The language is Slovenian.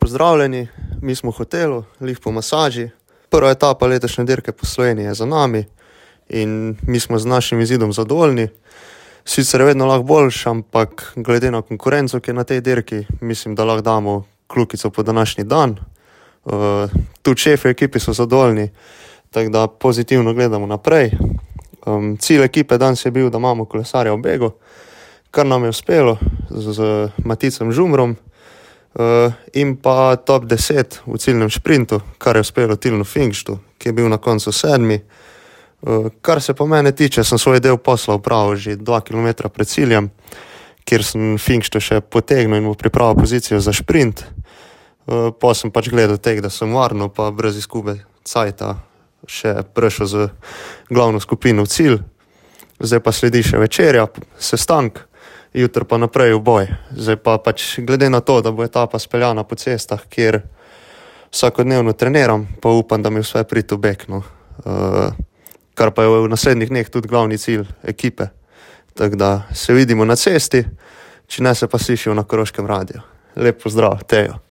pozdravljeni, mi smo v hotelu, lih po masaži. Prva etapa letošnje dirke po Sloveniji je za nami in mi smo z našim izidom zadovoljni. Sicer je vedno lahko boljši, ampak glede na konkurenco, ki je na tej dirki, mislim, da lahko damo kljukico po današnji dan. Tudi šefi ekipi so zadovoljni, tako da pozitivno gledamo naprej. Cilj ekipe danes je bil, da imamo kolesarja v begu, kar nam je uspelo z Maticem Žumrom, in pa top 10 v ciljnem šprintu, kar je uspelo Tilnu Fingštu, ki je bil na koncu 7. Kar se po mene tiče, sem svoj del posla opravil že 2 km pred ciljem, kjer sem Fingštu še potegnil in mu pripravil pozicijo za šprint. Pa sem pač gledal tega, da sem varno pa brez izgube cajta še prišel z glavno skupino v cilj. Zdaj pa sledi še večerja, sestank, jutri pa naprej v boj. Zdaj pa pač glede na to, da bo etapa speljana po cestah, kjer vsakodnevno treniram, pa upam, da mi vse priti v beg, no. Kar pa je v naslednjih dneh tudi glavni cilj ekipe. Tako da se vidimo na cesti, če ne se pa slišijo na Koroškem radiju. Lep pozdrav, Tejo.